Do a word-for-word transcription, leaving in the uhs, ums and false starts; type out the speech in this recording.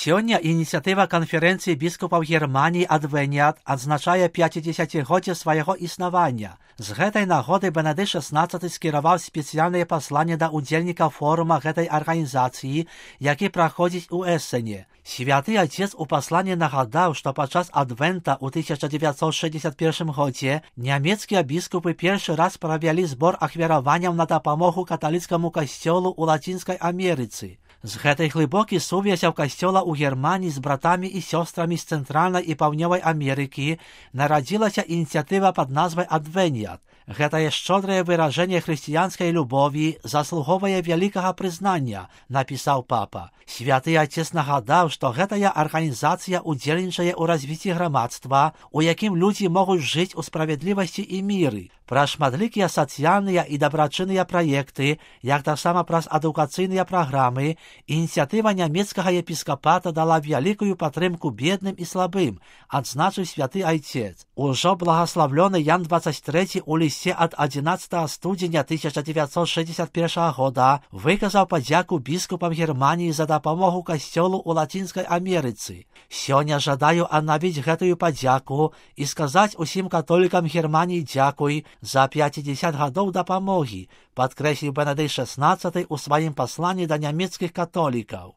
Сёння ініцыятыва канферэнцыі біскупаў Германіі «Адвэніат» адзначае пяцідзесяцігоддзе свайго існавання. З гэтай нагоды Бенедыкт шаснаццаты скіраваў спецыяльнае пасланне да ўдзельнікаў форума гэтай арганізацыі, які праходзіць у Эссене. Святы Отец у пасланні нагадаў, што падчас Адвента ў тысяча дзевяцьсот шэсцьдзесят першым годзе нямецкія біскупы першы раз правялі збор ахвяраванняў на дапамогу каталіцкаму касцёлу ў Лацінскай Амерыцы. З гэтай глыбокай сувязяў касцёла ў Германіі з братамі і сёстрамі з Цэнтральнай і Паўднёвай Амерыкі нарадзілася ініцыятыва пад назвай «Адвэніат». Гэтае шчодрае выражэнне хрысціянскай любові заслуговае вялікага прызнання, напісаў папа. Святы Отец нагадаў, што гэтая арганізацыя ўдзельнічае ў развіцці грамадства, у якім людзі могуць жыць у справядлівасці і міры. Праз шматлікія сацыяльныя і дабрачынныя праекты, як таксама праз адукацыйныя праграмы, ініцыятыва нямецкага епіскапата дала вялікую падтрымку бедным і слабым, адзначыў святы Отец. Ужо благаславлёны Ян дваццаць трэці ў лісце ад адзінаццатага студзеня тысяча дзевяцьсот шэсцьдзесят першага года выказаў падзяку біскупам Германіі за дапамогу касцёлу ў Лацінскай Амерыцы. Сёння жадаю аднавіць гэтую падзяку і сказаць усім католікам Германіі дзякуй за пяцьдзесят гадоў дапамогі, падкрэсліў Бенедыкт шаснаццаты ў сваім пасланні да нямецкіх католікаў.